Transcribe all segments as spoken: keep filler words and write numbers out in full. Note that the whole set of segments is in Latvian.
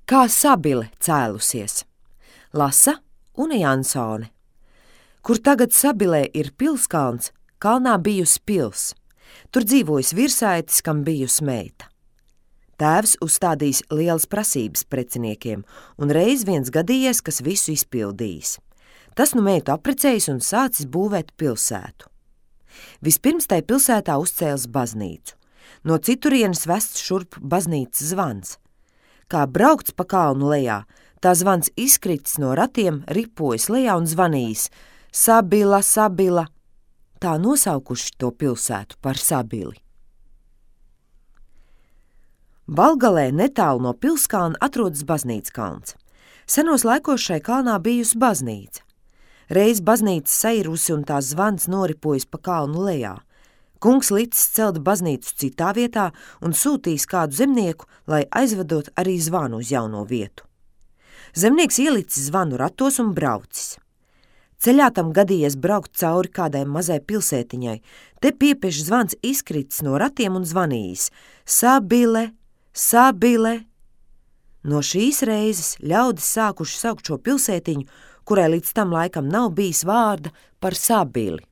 Kā Sabile cēlusies. Lasa Une Jansone. Kur tagad Sabilē ir pilskalns, kalnā bijusi pils. Tur dzīvojis virsaitis, kam bijusi meita. Tēvs uzstādījis lielas prasības preciniekiem, un reiz viens gadījies, kas visu izpildījis. Tas nu meitu apprecējis un sācis būvēt pilsētu. Vispirms tai pilsētā uzcēlis baznīcu. No citurienes vests šurp baznīcas zvans. Kā braukts pa kalnu lejā, tā zvans izkritis no ratiem, ripojas lejā un zvanījis: Sabila, Sabila! Tā nosaukuši to pilsētu par Sabili. Valgalē netālu no pilskalna atrodas baznīcas kalns. Senos laikos šai kalnā bijusi baznīca. Reiz baznīca sairusi un tās zvans noripojas pa kalnu lejā. Kungs licis celt baznīcu citā vietā un sūtīs kādu zemnieku, lai aizvedot arī zvanu uz jauno vietu. Zemnieks ielicis zvanu ratos un braucis. Ceļā tam gadījies braukt cauri kādai mazai pilsētiņai. Te piepieši zvans izkritis no ratiem un zvanījis: Sabile, Sabile! No šīs reizes ļaudis sākuši saukt šo pilsētiņu, kurai līdz tam laikam nav bijis vārda, par Sabili.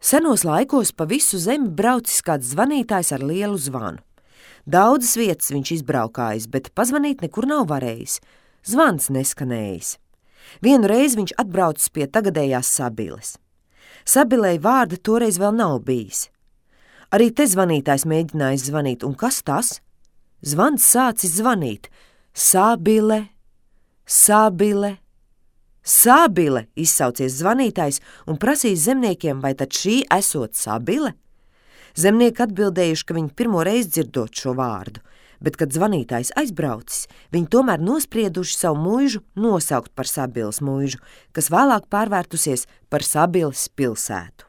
Senos laikos pa visu zemi braucis kāds zvanītājs ar lielu zvanu. Daudzas vietas viņš izbraukājis, bet pazvanīt nekur nav varējis. Zvans neskanējis. Vienu reizi viņš atbraucis pie tagadējās Sabiles. Sabilei vārda toreiz vēl nav bijis. Arī te zvanītājs mēģinājis zvanīt, un kas tas? Zvans sācis zvanīt: Sabile, Sabile, Sabile, izsaucies zvanītājs un prasīs zemniekiem, vai tad šī esot Sabile? Zemnieki atbildējuši, ka viņi pirmo reizi dzirdot šo vārdu, bet, kad zvanītājs aizbraucis, viņi tomēr nosprieduši savu muižu nosaukt par Sabiles muižu, kas vēlāk pārvērtusies par Sabiles pilsētu.